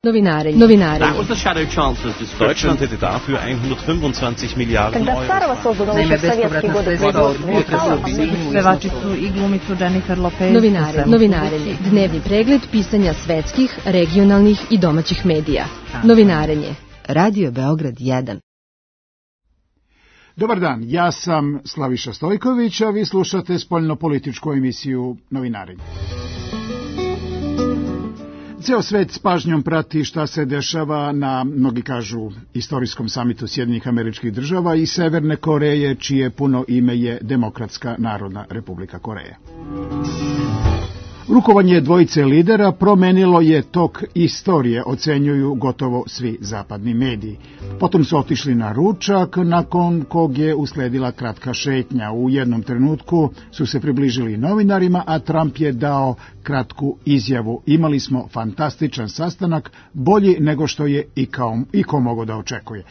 Novinare. That was the Shadow Chancellor's description. Deutschland hätte dafür 125 Milijarden Когда старого созданного еще в советские годы Pevači su i glumicu Jennifer Lopez. Novinarenje. Dnevni pregled pisanja svetskih, regionalnih i domaćih medija. Novinarenje. Radio Beograd 1. Dobar dan, ja sam Slaviša Stojković, a vi slušate spoljnopolitičku emisiju Novinarenje. Ceo svet s pažnjom prati šta se dešava na, mnogi kažu, istorijskom samitu Sjedinjenih Američkih Država i Severne Koreje, čije puno ime je Demokratska narodna republika Koreje. Rukovanje dvojice lidera promenilo je tok istorije, ocenjuju gotovo svi zapadni mediji. Potom su otišli na ručak, nakon kog je usledila kratka šetnja. U jednom trenutku su se približili novinarima, a Trump je dao kratku izjavu. Imali smo fantastičan sastanak, bolji nego što je iko mogao da očekuje.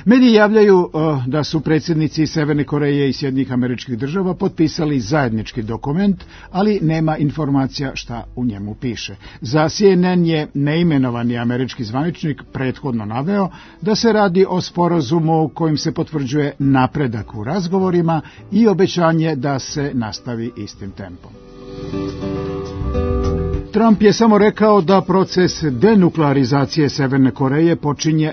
Mediji javljaju da su predsjednici Severne Koreje i Sjedinjenih Američkih Država potpisali zajednički dokument, ali nema informacija šta u njemu piše. Za CNN je neimenovani američki zvaničnik prethodno naveo da se radi o sporazumu kojim se potvrđuje napredak u razgovorima i obećanje da se nastavi istim tempom. Trump je samo rekao da proces denuklearizacije Severne Koreje počinje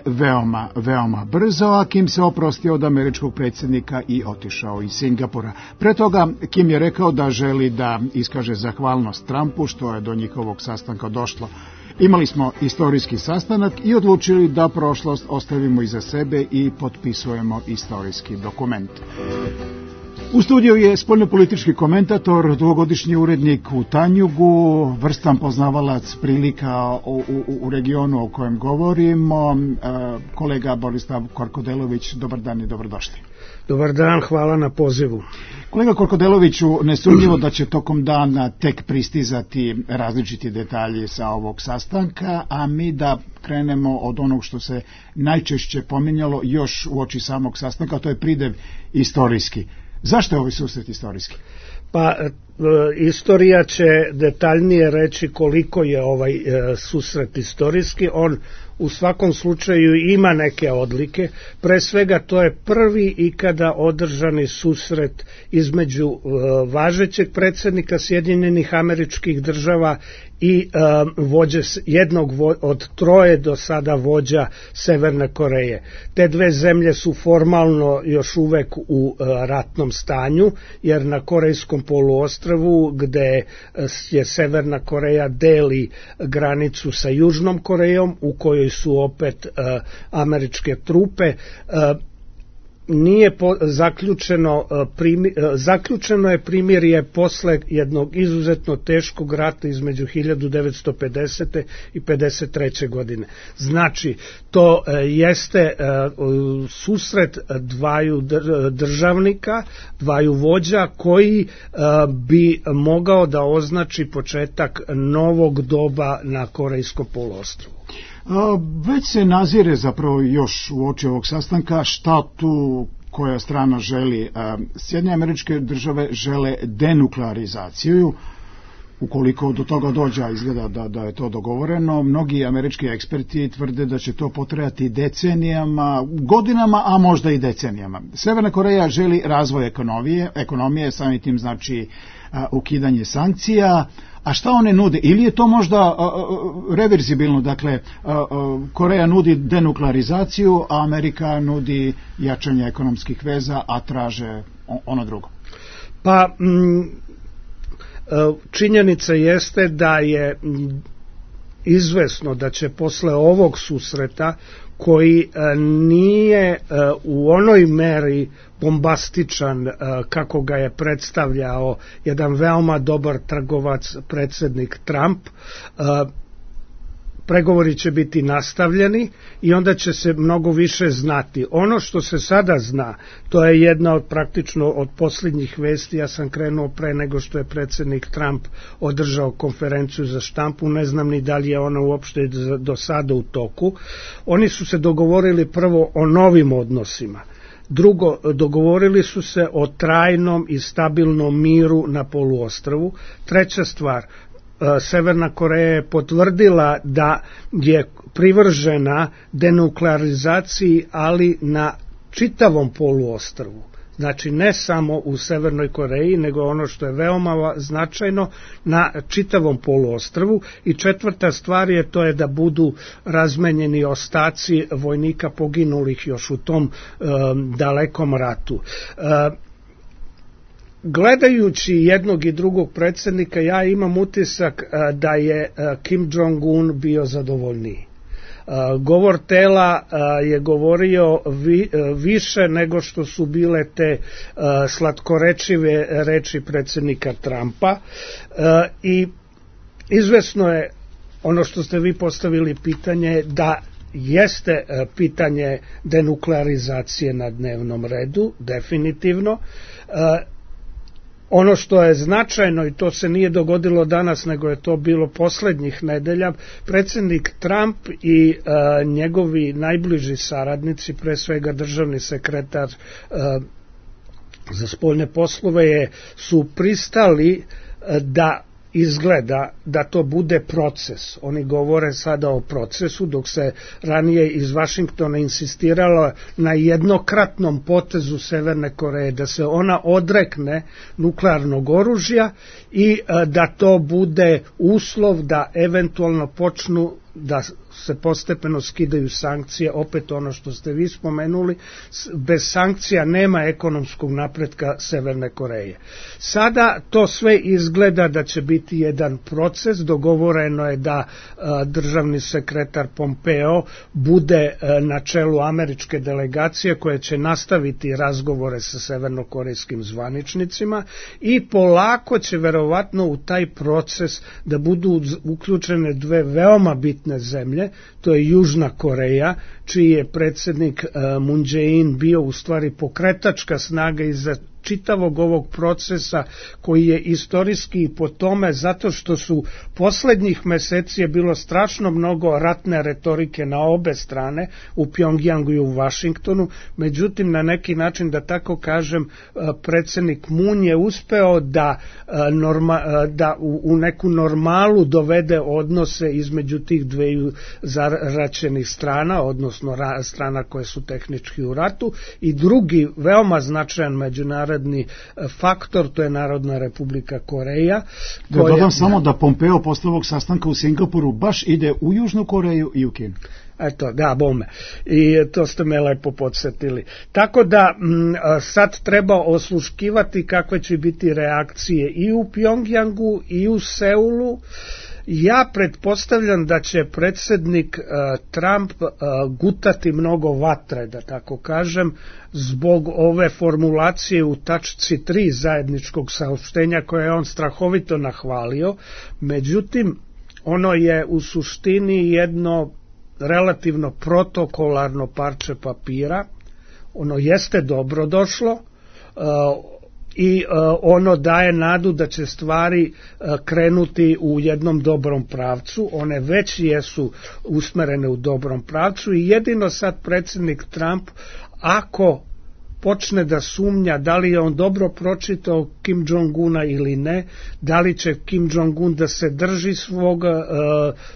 veoma brzo, a Kim se oprostio od američkog predsjednika i otišao iz Singapura. Pre toga Kim je rekao da želi da iskaže zahvalnost Trumpu što je do njihovog sastanka došlo. Imali smo istorijski sastanak i odlučili da prošlost ostavimo iza sebe i potpisujemo istorijski dokument. U studiju je spoljnopolitički komentator, dugogodišnji urednik u Tanjugu, vrstan poznavalac prilika u regionu o kojem govorimo, kolega Borislav Korkodelović. Dobar dan i dobrodošli. Dobar dan, hvala na pozivu. Kolega Korkodeloviću, nesumnjivo da će tokom dana tek pristizati različiti detalji sa ovog sastanka, a mi da krenemo od onog što se najčešće pominjalo još uoči samog sastanka, a to je pridev istorijski. Zašto je ovaj susret istorijski? Pa, istorija će detaljnije reći koliko je ovaj susret istorijski. On u svakom slučaju ima neke odlike. Pre svega to je prvi ikada održani susret između važećeg predsjednika Sjedinjenih Američkih Država i vođe, jednog od troje do sada vođa Severne Koreje. Te dve zemlje su formalno još uvek u ratnom stanju, jer na Korejskom poluostrvu, gde je Severna Koreja deli granicu sa Južnom Korejom, u kojoj su opet američke trupe, nije zaključeno je primirje posle jednog izuzetno teškog rata između 1950. i 1953. godine. Znači, to jeste susret dvaju državnika, dvaju vođa koji bi mogao da označi početak novog doba na Korejskom poluostrvu. Već se nazire zapravo još u oči ovog sastanka šta tu koja strana želi. Sjedinjene Američke Države žele denuklearizaciju. Ukoliko do toga dođe, izgleda da je to dogovoreno, mnogi američki eksperti tvrde da će to potrajati decenijama, godinama, a možda i decenijama. Severna Koreja želi razvoj ekonomije, samim tim znači ukidanje sankcija. A šta one nude? Ili je to možda reverzibilno, dakle Koreja nudi denuklearizaciju, a Amerika nudi jačanje ekonomskih veza, a traže ono drugo? Pa, činjenica jeste da je izvesno da će posle ovog susreta, koji nije u onoj meri bombastičan kako ga je predstavljao jedan veoma dobar trgovac predsjednik Trump, pregovori će biti nastavljeni i onda će se mnogo više znati. Ono što se sada zna, to je jedna od praktično od posljednjih vesti. Ja sam krenuo pre nego što je predsjednik Trump održao konferenciju za štampu, ne znam ni da li je ona uopšte do sada u toku. Oni su se dogovorili prvo o novim odnosima. Drugo, dogovorili su se o trajnom i stabilnom miru na poluostrvu. Treća stvar, Severna Koreja je potvrdila da je privržena denuklearizaciji, ali na čitavom poluostrvu. Znači ne samo u Severnoj Koreji, nego ono što je veoma značajno, na čitavom poluostrvu. I četvrta stvar je to je da budu razmenjeni ostaci vojnika poginulih još u tom dalekom ratu. Gledajući jednog i drugog predsjednika, ja imam utisak da je Kim Jong-un bio zadovoljniji. Govor tela je govorio više nego što su bile te slatkorečive reči predsjednika Trumpa i izvesno je ono što ste vi postavili pitanje da jeste pitanje denuklearizacije na dnevnom redu, definitivno. Ono što je značajno, i to se nije dogodilo danas, nego je to bilo poslednjih nedelja, predsjednik Trump i njegovi najbliži saradnici, pre svega državni sekretar za spoljne poslove, su pristali da izgleda da to bude proces. Oni govore sada o procesu, dok se ranije iz Vašingtona insistiralo na jednokratnom potezu Severne Koreje, da se ona odrekne nuklearnog oružja i da to bude uslov da eventualno počnu da se postepeno skidaju sankcije, opet ono što ste vi spomenuli, bez sankcija nema ekonomskog napretka Severne Koreje. Sada to sve izgleda da će biti jedan proces, dogovoreno je da državni sekretar Pompeo bude na čelu američke delegacije koja će nastaviti razgovore sa severnokorejskim zvaničnicima i polako će verovatno u taj proces da budu uključene dve veoma bitne zemlje, to je Južna Koreja, čiji je predsjednik Moon Jae-in bio u stvari pokretačka snaga iza čitavog ovog procesa, koji je istorijski i po tome zato što su poslednjih meseci je bilo strašno mnogo ratne retorike na obe strane, u Pjongjangu i u Vašingtonu. Međutim, na neki način, da tako kažem, predsjednik Moon je uspeo da u neku normalu dovede odnose između tih dveju zaraćenih strana, odnosno strana koje su tehnički u ratu, i drugi veoma značajan međunarodni faktor, to je Narodna Republika Koreja. Da dodam samo da Pompeo posle ovog sastanka u Singapuru baš ide u Južnu Koreju i u Kinu. Eto, da, bome. I to ste me lepo podsjetili. Tako da sad treba osluškivati kakve će biti reakcije i u Pjongjangu i u Seulu. Ja pretpostavljam da će predsjednik Trump gutati mnogo vatre, da tako kažem, zbog ove formulacije u tačci 3 zajedničkog saopštenja koje je on strahovito nahvalio. Međutim, ono je u suštini jedno relativno protokolarno parče papira. Ono jeste dobro došlo, i ono daje nadu da će stvari krenuti u jednom dobrom pravcu. One već jesu usmerene u dobrom pravcu i jedino sad predsjednik Trump, ako počne da sumnja da li je on dobro pročitao Kim Jong-una ili ne, da li će Kim Jong-un da se drži svog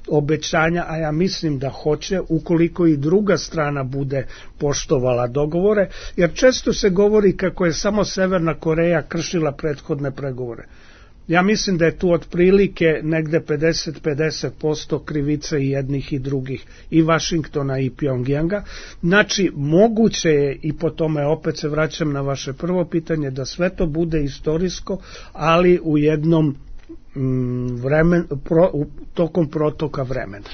obećanja, a ja mislim da hoće, ukoliko i druga strana bude poštovala dogovore, jer često se govori kako je samo Severna Koreja kršila prethodne pregovore. Ja mislim da je tu otprilike negde 50% krivice i jednih i drugih, i Vašingtona i Pjongjanga. Znači, moguće je, i po tome opet se vraćam na vaše prvo pitanje, da sve to bude istorijsko, ali u jednom tokom protoka vremena.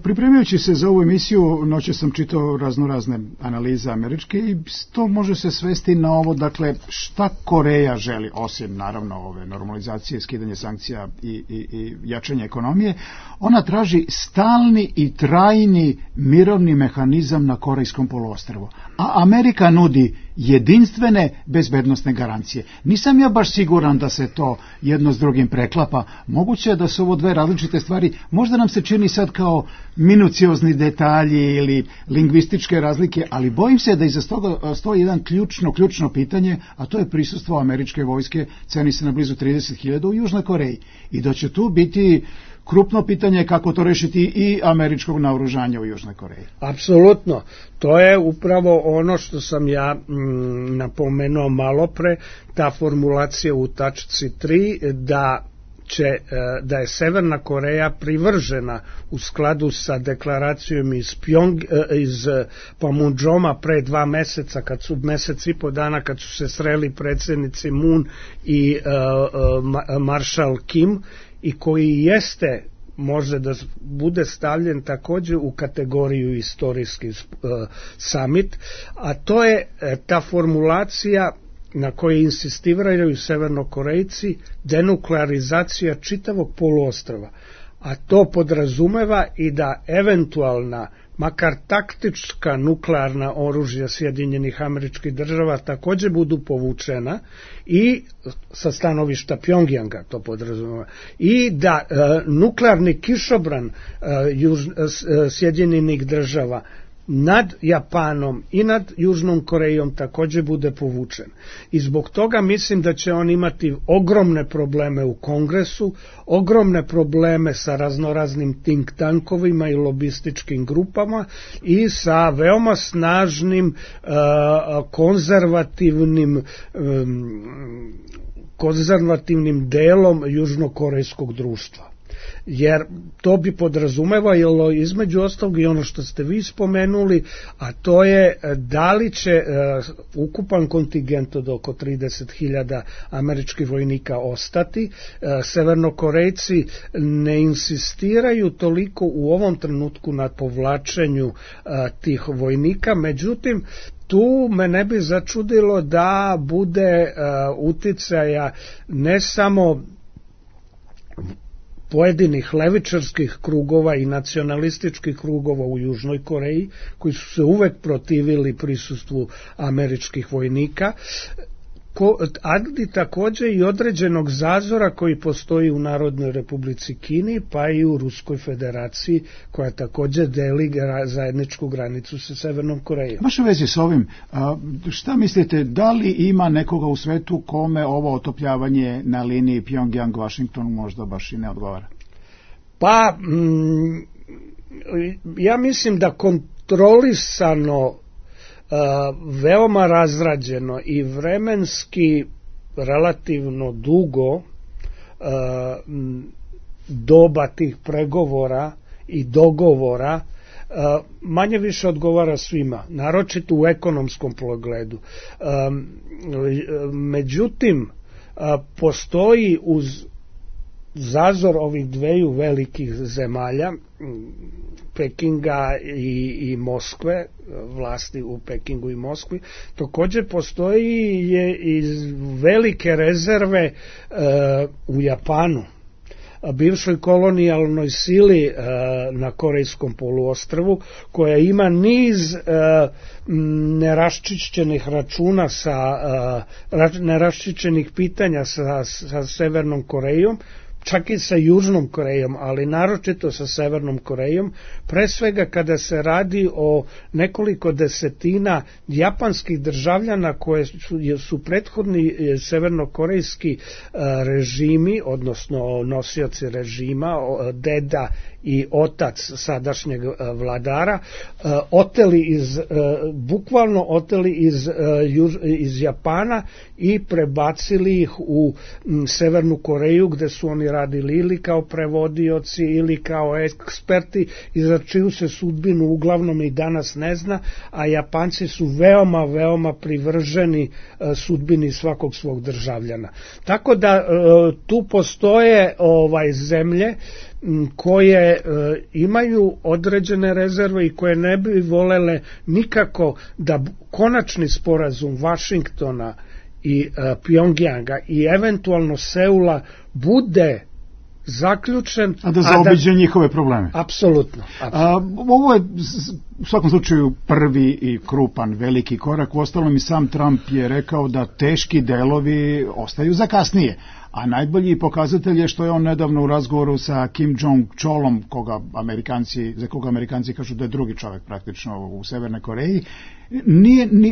Pripremajući se za ovu emisiju, noće sam čitao raznorazne analize američke i to može se svesti na ovo, dakle, šta Koreja želi, osim naravno ove normalizacije, skidanje sankcija i jačanje ekonomije. Ona traži stalni i trajni mirovni mehanizam na Korejskom poluostrvu, a Amerika nudi jedinstvene bezbednosne garancije. Nisam ja baš siguran da se to jedno s drugim preklapa. Moguće je da su ovo dve različite stvari. Možda nam se čini sad kao minuciozni detalji ili lingvističke razlike, ali bojim se da iza toga stoji jedan ključno pitanje, a to je prisustvo američke vojske, ceni se na blizu 30.000 u Južnoj Koreji. I da će tu biti krupno pitanje kako to rešiti i američkog naoružanja u Južnoj Koreji. Apsolutno. To je upravo ono što sam ja napomenuo malo pre, ta formulacija u tačci 3 da je Severna Koreja privržena u skladu sa deklaracijom iz Panmunjoma pre 2 meseca, mesec i po dana kad su se sreli predsjednici Moon i maršal Kim, i koji jeste, može da bude stavljen također u kategoriju istorijski summit, a to je ta formulacija na kojoj insistiraju Severnokorejci, denuklearizacija čitavog poluostrva. A to podrazumeva i da eventualna, makar taktička nuklearna oružja Sjedinjenih Američkih Država također budu povučena i sa stanovišta Pjongjanga to podrazumeva. I da nuklearni kišobran Sjedinjenih Država nad Japanom i nad Južnom Korejom također bude povučen. I zbog toga mislim da će on imati ogromne probleme u Kongresu, ogromne probleme sa raznoraznim think tankovima i lobističkim grupama i sa veoma snažnim konzervativnim delom južnokorejskog društva. Jer to bi podrazumevalo između ostalog i ono što ste vi spomenuli, a to je da li će ukupan kontingent od oko 30.000 američkih vojnika ostati. Severnokorejci ne insistiraju toliko u ovom trenutku na povlačenju tih vojnika, međutim tu me ne bi začudilo da bude uticaja ne samo pojedinih levičarskih krugova i nacionalističkih krugova u Južnoj Koreji, koji su se uvek protivili prisustvu američkih vojnika, ali također i određenog zazora koji postoji u Narodnoj Republici Kini, pa i u Ruskoj federaciji, koja također deli zajedničku granicu sa Severnom Korejom. Baš u vezi s ovim, šta mislite, da li ima nekoga u svetu kome ovo otopljavanje na liniji Pjongjang-Washington možda baš i ne odgovara? Pa, ja mislim da kontrolisano, veoma razrađeno i vremenski relativno dugo doba tih pregovora i dogovora manje više odgovara svima, naročito u ekonomskom pogledu. Međutim, postoji uz zazor ovih dveju velikih zemalja, Pekinga i Moskve, vlasti u Pekingu i Moskvi, također postoji i velike rezerve u Japanu, bivšoj kolonijalnoj sili na Korejskom poluostrvu, koja ima niz neraščišćenih računa neraščišćenih pitanja sa Severnom Korejom, čak i sa Južnom Korejom, ali naročito sa Severnom Korejom, pre svega kada se radi o nekoliko desetina japanskih državljana koje su prethodni severnokorejski režimi, odnosno nosioci režima, deda i otac sadašnjeg vladara, bukvalno oteli iz Japana i prebacili ih u Severnu Koreju, gde su oni radili ili kao prevodioci ili kao eksperti, i za čiju se sudbinu uglavnom i danas ne zna, a Japanci su veoma privrženi sudbini svakog svog državljana. Tako da tu postoje zemlje koje imaju određene rezerve i koje ne bi volele nikako da konačni sporazum Vašingtona i Pjongjanga i eventualno Seula bude zaključen. A da zaobiđe njihove probleme. Apsolutno. Ovo je u svakom slučaju prvi i krupan, veliki korak. Uostalom i sam Trump je rekao da teški delovi ostaju za kasnije. A najbolji pokazatelj je što je on nedavno u razgovoru sa Kim Jong-cholom, za koga Amerikanci kažu da je drugi čovjek praktično u Severnoj Koreji,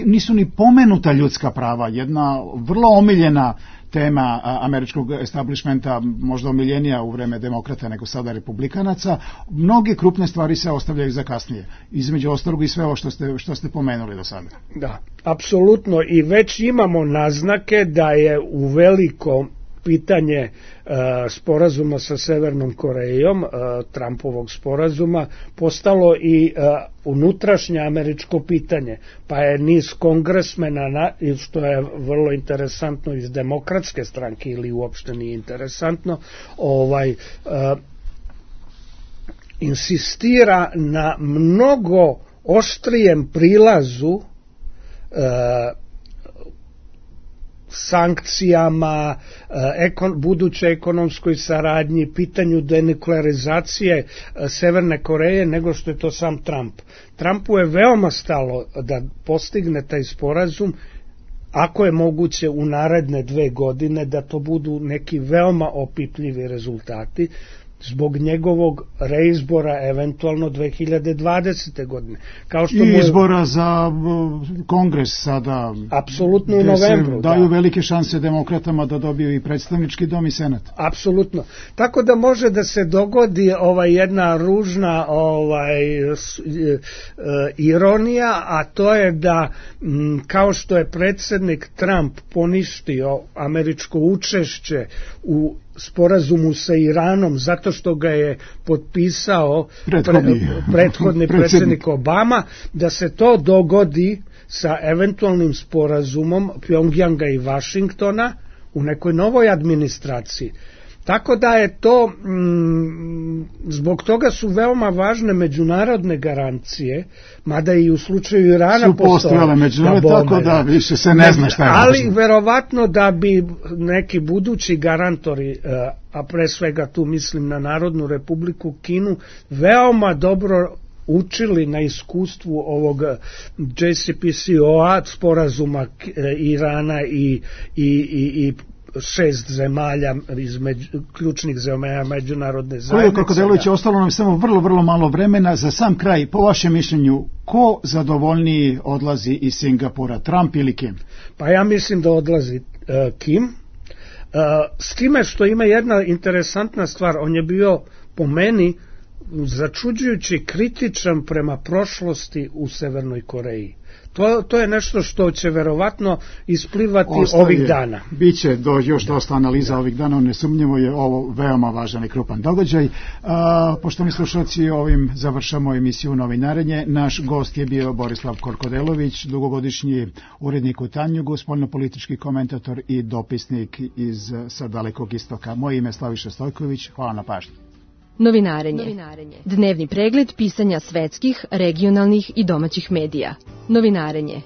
nisu ni pomenuta ljudska prava. Jedna vrlo omiljena tema američkog establishmenta, možda omiljenija u vreme demokrata nego sada republikanaca. Mnoge krupne stvari se ostavljaju za kasnije. Između ostalog i sve ovo što ste pomenuli do sada. Da, apsolutno. I već imamo naznake da je u velikom pitanje sporazuma sa Severnom Korejom, Trumpovog sporazuma, postalo i unutrašnje američko pitanje. Pa je niz kongresmena, što je vrlo interesantno iz demokratske stranke ili uopšte nije interesantno, insistira na mnogo oštrijem prilazu sankcijama, budućoj ekonomskoj saradnji, pitanju denuklearizacije Severne Koreje nego što je to sam Trump. Trumpu je veoma stalo da postigne taj sporazum, ako je moguće u naredne 2 godine, da to budu neki veoma opipljivi rezultati, zbog njegovog reizbora eventualno 2020. godine. Kao što I izbora za kongres sada. Apsolutno u novembru. Daju velike šanse demokratama da dobiju i predstavnički dom i senat. Apsolutno. Tako da može da se dogodi jedna ružna ironija, a to je da kao što je predsjednik Trump poništio američko učešće u sporazumu sa Iranom zato što ga je potpisao prethodni predsjednik Obama, da se to dogodi sa eventualnim sporazumom Pjongjanga i Vašingtona u nekoj novoj administraciji. Tako da je to, zbog toga su veoma važne međunarodne garancije, mada i u slučaju Irana postojale međunarodne, tako da više se ne zna šta je. Ali verovatno da bi neki budući garantori, a pre svega tu mislim na Narodnu republiku Kinu, veoma dobro učili na iskustvu ovog JCPOA sporazuma Irana i 6 zemalja ključnih zemalja međunarodne zajednice. Kako delujući, ostalo nam samo vrlo malo vremena. Za sam kraj, po vašem mišljenju, ko zadovoljniji odlazi iz Singapura, Trump ili Kim? Pa ja mislim da odlazi Kim. S time što ima jedna interesantna stvar, on je bio po meni začuđujući kritičan prema prošlosti u Severnoj Koreji. To je nešto što će verovatno isplivati ovih dana. Biće još dosta analiza ovih dana, nesumnjivo je ovo veoma važan i krupan događaj. Poštovani slušalci, ovim završamo emisiju Novinarenje. Naš gost je bio Borislav Korkodelović, dugogodišnji urednik u Tanjugu, spoljnopolitički komentator i dopisnik sa Dalekog istoka. Moje ime je Slaviša Stojković, hvala na pažnji. Novinarenje. Dnevni pregled pisanja svetskih, regionalnih i domaćih medija. Novinarenje.